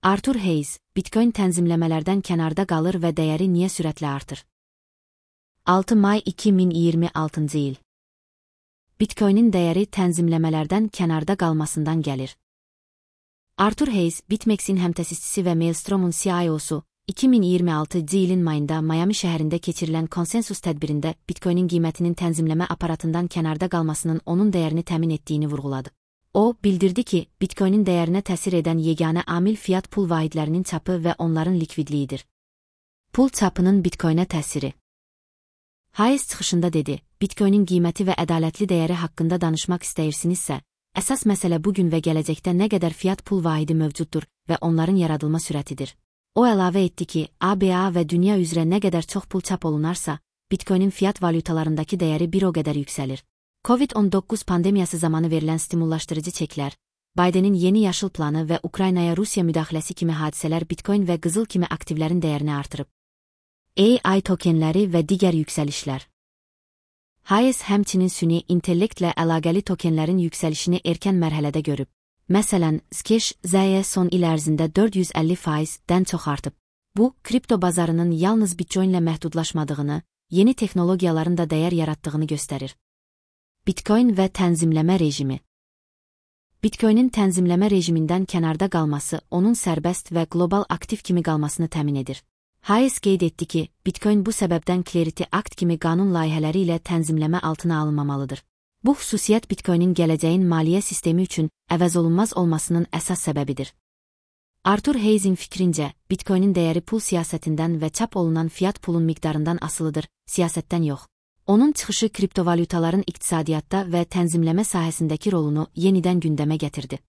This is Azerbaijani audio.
Arthur Hayes, Bitcoin tənzimləmələrdən kənarda qalır və dəyəri niyə sürətlə artır? 6 may 2026-cı il. Bitcoinin dəyəri tənzimləmələrdən kənarda qalmasından gəlir. Arthur Hayes, BitMEX'in həmtəsisçisi və Maelstrom'un CIO-su, 2026-cı ilin mayında Miami şəhərində keçirilən konsensus tədbirində Bitcoinin qiymətinin tənzimləmə aparatından kənarda qalmasının onun dəyərini təmin etdiyini vurğuladı. O, bildirdi ki, Bitcoinin dəyərinə təsir edən yeganə amil fiat pul vahidlərinin çapı və onların likvidliyidir. Pul çapının Bitcoinə təsiri. Hayes çıxışında dedi, Bitcoinin qiyməti və ədalətli dəyəri haqqında danışmaq istəyirsinizsə, əsas məsələ bugün və gələcəkdə nə qədər fiat pul vahidi mövcuddur və onların yaradılma sürətidir. O əlavə etdi ki, ABA və dünya üzrə nə qədər çox pul çap olunarsa, Bitcoinin fiat valyutalarındakı dəyəri bir o qədər yüksəlir. COVID-19 pandemiyası zamanı verilən stimullaşdırıcı çeklər, Bidenin yeni yaşıl planı və Ukraynaya Rusiya müdaxiləsi kimi hadisələr Bitcoin və qızıl kimi aktivlərin dəyərini artırıb. AI tokenləri və digər yüksəlişlər. Hayes həmçinin süni intellektlə əlaqəli tokenlərin yüksəlişini erkən mərhələdə görüb. Məsələn, Zcash ZY son il ərzində 450%-dən çox artıb. Bu, kripto bazarının yalnız Bitcoinlə məhdudlaşmadığını, yeni texnologiyaların da dəyər yaratdığını göstərir. Bitcoin və tənzimləmə rejimi. Bitcoinin tənzimləmə rejimindən kənarda qalması onun sərbəst və qlobal aktiv kimi qalmasını təmin edir. Hayes qeyd etdi ki, Bitcoin bu səbəbdən Clarity Act kimi qanun layihələri ilə tənzimləmə altına alınmamalıdır. Bu xüsusiyyət Bitcoinin gələcəyin maliyyə sistemi üçün əvəzolunmaz olmasının əsas səbəbidir. Arthur Hayes'in fikrincə, Bitcoinin dəyəri pul siyasətindən və çap olunan fiat pulun miqdarından asılıdır, siyasətdən yox. Onun çıxışı kriptovalyutaların iqtisadiyyatda və tənzimləmə sahəsindəki rolunu yenidən gündəmə gətirdi.